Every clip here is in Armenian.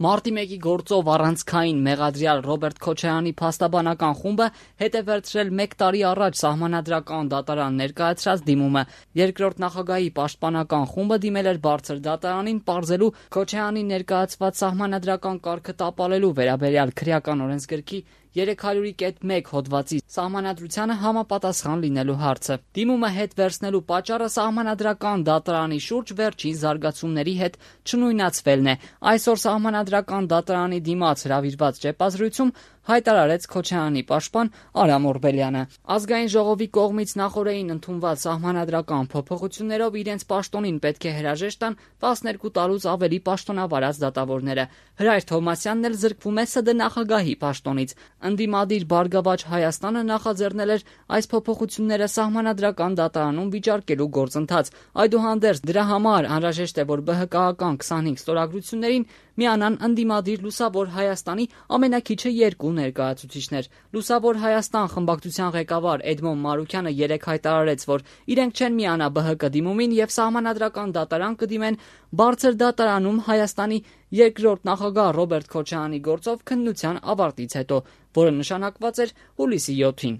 Մարտի 1-ի գործով առանցքային մեղադրյալ Ռոբերտ Քոչարյանի փաստաբանական խումբը հետ է վերցրել 1 տարի առաջ Սահմանադրական դատարան ներկայացրած դիմումը։ Երկրորդ նախագահի պաշտպանական խումբը դիմել էր բարձր դատարանին պարզելու Քոչարյանի ներկայացված սահմանադրական կարգը տապալելու վերաբերյալ քրեական օրենսգրքի 300.1 հոդվածի սահմանադրությանը համապատասխան լինելու հարցը։ Դիմումը հետ վերցնելու պատճառը Սահմանադրական դատարանի շուրջ վերջին զարգացումների հետ չնույնացվելն է։ Այսօր Սահմանադրական դատարանի դիմաց հրավիրված ճեպազրույցում հայտարարեց Քոչարյանի պաշտպան Արամ Օրբելյանը։ Ազգային ժողովի կողմից նախօրեին ընդունված սահմանադրական փոփոխություններով իրենց պաշտոնին պետք է հրաժեշտ տան 12 տարուց ավելի պաշտոնավարած դատավորները։ Հրայր Թովմասյանն էլ զրկվում է ՍԴ նախագահի պաշտոնից։ Ընդդիմադիր Բարգավաճ Հայաստանը նախաձեռնել էր այս փոփոխությունները Սահմանադրական դատարանում վիճարկելու գործընթաց։ Այդուհանդերձ դրա համար անհրաժեշտ է, որ ԲՀԿ-ական 25 ստորագրություններին միանան ընդդիմադիր Լուսավոր Հայաստանի ամենաքիչը 2 ներկայացուցիչներ։ Լուսավոր Հայաստան խմբակցության ղեկավար Էդմոն Մանուկյանը երեկ հայտարարեց, որ իրենք չեն միանա ԲՀԿ դիմումին եւ Սահմանադրական դատարան կդիմեն բարձր դատարանում Հայաստանի երկրորդ նախագահ Ռոբերտ Քոչարյանի գործով քննության ավարտից հետո, որը նշանակված էր հուլիսի 7-ին։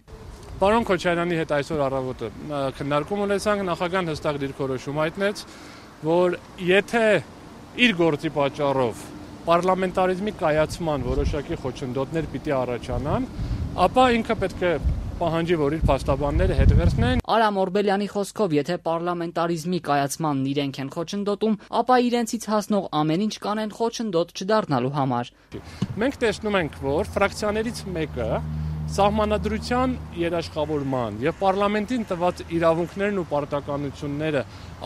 Պարոն Քոչարյանի հետ այսօր առավոտը քննարկում ունեցանք, նախագահան հստակ դիրքորոշում հայտնեց, որ եթե իր գործի պատճառով պարլամենտարիզմի կայացման որոշակի խոչընդոտներ պիտի առաջանան, ապա ինքը պետք է պահանջի, որ իր փաստաբանները հետ վերցնեն։ Արամ Օրբելյանի խոսքով, եթե պարլամենտարիզմի կայացմանն իրենք են խոչընդոտում, ապա իրենցից հասնող ամեն ինչ կանեն խոչընդոտ չդառնալու համար։ Մենք տեսնում ենք, որ ֆրակցիաներից մեկը սահմանադրության երաշխավորման եւ պարլամենտին տված իրավունքներն ու պարտականությունները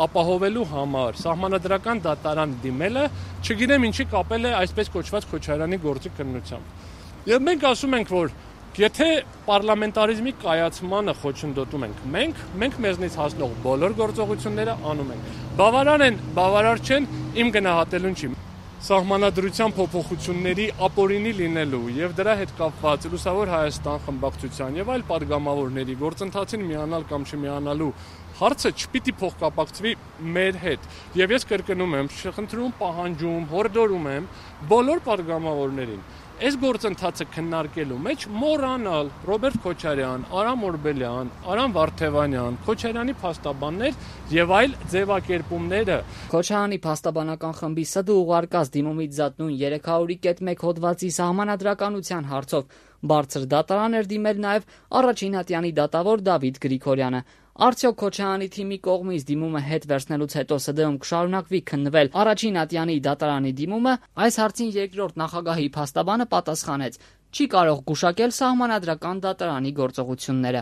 ապահովելու համար սահմանադրական դատարան դիմելը, չգիտեմ ինչի կապել է այսպես կոչված Քոչարյանի գործի քննությամբ։ Եվ մենք ասում ենք, որ եթե պարլամենտարիզմի կայացմանը խոչընդոտում ենք մենք մեզնից հասնող բոլոր գործողությունները անում ենք։ Բավարար են, բավարար չեն, իմ գնահատելուն չի։ Սահմանադրության փոփոխությունների ապօրինի լինելու եւ դրա հետ կապված Լուսավոր Հայաստան խմբակցության եւ այլ падգամավորների գործընթացին միանալ կամ չմիանալու հարցը չպիտի փոխկապակցվի մեր հետ։ Եվ ես կրկնում եմ, խնդրում, պահանջում, հորդորում եմ բոլոր падգամավորներին այս գործընթացը քննարկելու մեջ մոռանալ Ռոբերտ Քոչարյան, Արամ Օրբելյան, Արամ Վարդևանյան, Քոչարյանի փաստաբաններ եւ այլ ձևակերպումները։ Քոչարյանի փաստաբանական խմբի ՍԴ ուղարկած դիմումից զատ նույն 300.1 հոդվածի սահմանադրականության հարցով բարձր դատարան էր դիմել նաեւ առաջին ատյանի դատավոր Դավիթ Գրիգորյանը։ Արդյոք Քոչարյանի թիմի կողմից դիմումը հետ վերցնելուց հետո ՍԴ-ում կշարունակվի քննվել առաջին ատյանի դատարանի դիմումը, այս հարցին երկրորդ նախագահի փաստաբանը պատասխանեց. չի կարող գուշակել Սահմանադրական դատարանի գործողությունները։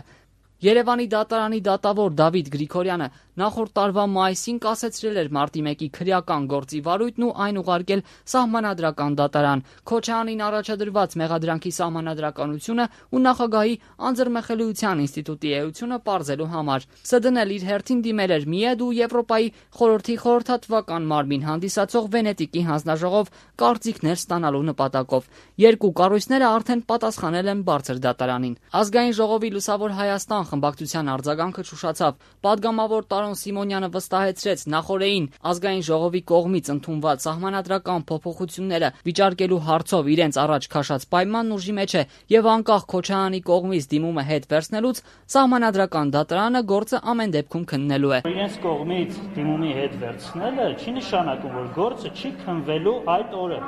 Երևանի դատարանի դատավոր Դավիթ Գրիգորյանը նախորդ տարվա մայիսին կասեցրել էր Մարտի 1-ի քրեական գործի վարույթն ու այն ուղարկել Սահմանադրական դատարան։ Քոչարյանին առաջադրված մեղադրանքի սահմանադրականությունը ու նախագահի անձեռմխելիության ինստիտուտի էությունը պարզելու համար։ ՍԴ-ն էլ իր հերթին դիմել էր ՄԻԵԴ ու Եվրոպայի խորհրդի խորհրդատվական մարմին հանդիսացող Վենետիկի հանձնաժողով կարծիքներ ստանալու նպատակով։ Երկու կառույցները արդեն պատասխանել են բարձր դատարանին։ Ազգային ժողովի Լուսավոր Հայաստան խմբակցության արձագանքը չուշացավ։ Պատգամավոր Տարոն Սիմոնյանը վստահեցրեց նախօրեին ազգային ժողովի կողմից ընդունված սահմանադրական փոփոխությունները վիճարկելու հարցով իրենց առաջ քաշած պայմանն ուժի մեջ է եւ անկախ Քոչարյանի կողմից դիմումը հետ վերցնելուց Սահմանադրական դատարանը գործը ամեն դեպքում քննելու է։ Իրենց կողմից դիմումի հետ վերցնելը չի նշանակում, որ գործը չի քննվելու այդ օրը։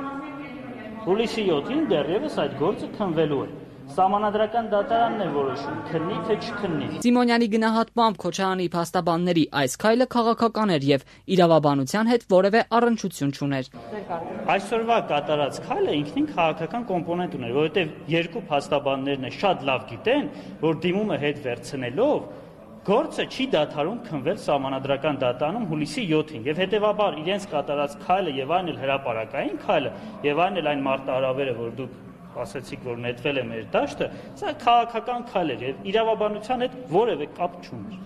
Հուլիսի 7-ին դեռևս այդ գործը քննվելու է։ Սահմանադրական դատարանն է որոշում, քննի թե չքննի։ Սիմոնյանի գնահատմամբ Քոչարյանի փաստաբանների այս քայլը քաղաքական էր եւ իրավաբանության հետ որևէ առնչություն չուներ։ Այսօրվա կատարած քայլը ինքնին քաղաքական կոմպոնենտ ուներ, որովհետեւ երկու փաստաբաններն է շատ լավ գիտեն, որ դիմումը հետ վերցնելով գործը չի դադարում քննվել Սահմանադրական դատարանում հուլիսի 7-ին եւ հետեւաբար իրենց կատարած քայլը եւ այն էլ հրապարակային քայլը եւ այն էլ այն մարտահրավերը, որ դուք ասացիք, որ նետվել է մեր դաշտը, սա քաղաքական քայլ էր եւ իրավաբանության հետ որևէ կապ չուներ։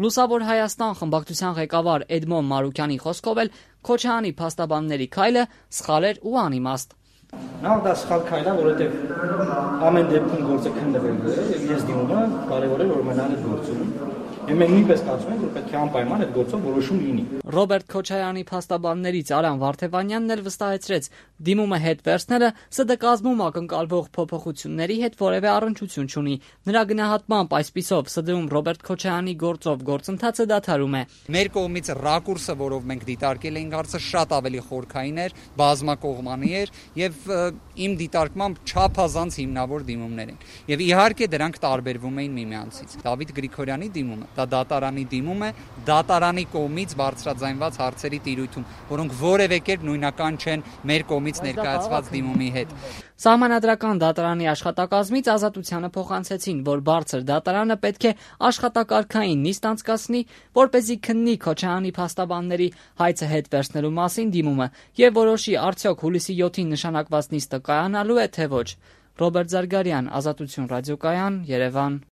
Լուսավոր Հայաստան խմբակցության ղեկավար Էդմոն Մանուկյանի խոսքով էլ Քոչարյանի փաստաբանների քայլը սխալ էր ու անիմաստ։ Նախ դա սխալ քայլ է, որովհետեւ ամեն դեպքում գործը քննվելու է եւ ես դիմում եմ կարեւոր է որ մնալ այդ գործում Եվ մենք նույնպես կարծում ենք, որ պետք է անպայման այդ գործով որոշում լինի։ Ռոբերտ Քոչարյանի փաստաբաններից Արամ Վարդևանյանն էլ վստահեցրեց, դիմումը հետ վերցնելը ՍԴ կազմում ակնկալվող փոփոխությունների հետ որևէ առնչություն չունի։ Նրա գնահատմամբ այսպիսով ՍԴ-ում Ռոբերտ Քոչարյանի գործով գործընթացը դադարում է։ Մեր կողմից ռակուրսը, որով մենք դիտարկել էինք հարցը, շատ ավելի խորքային էր, բազմակողմանի էր եւ իմ դիտարկմամբ չափազանց հիմնավոր դիմումներ են։ Եվ իհարկե դրանք տարբերվում էին միմյանցից։ Դավիթ Գրիգորյանի դիմումը դա դատարանի դիմում է, դատարանի կողմից բարձրաձայնված հարցերի տիրույթում, որոնք որևէ կերպ նույնական չեն մեր կողմից ներկայացված դիմումի հետ։ Սահմանադրական դատարանի աշխատակազմից Ազատությանը փոխանցեցին, որ բարձր դատարանը պետք է աշխատակարգային նիստ անցկացնի, որպեսզի քննի Քոչարյանի փաստաբանների հայցը հետ վերցնելու մասին դիմումը եւ որոշի արդյոք հուլիսի 7-ին նշանակված նիստը կայանալու է թե ոչ։ Ռոբերտ Զարգարյան, Ազատություն ռադիոկայան, Երևան։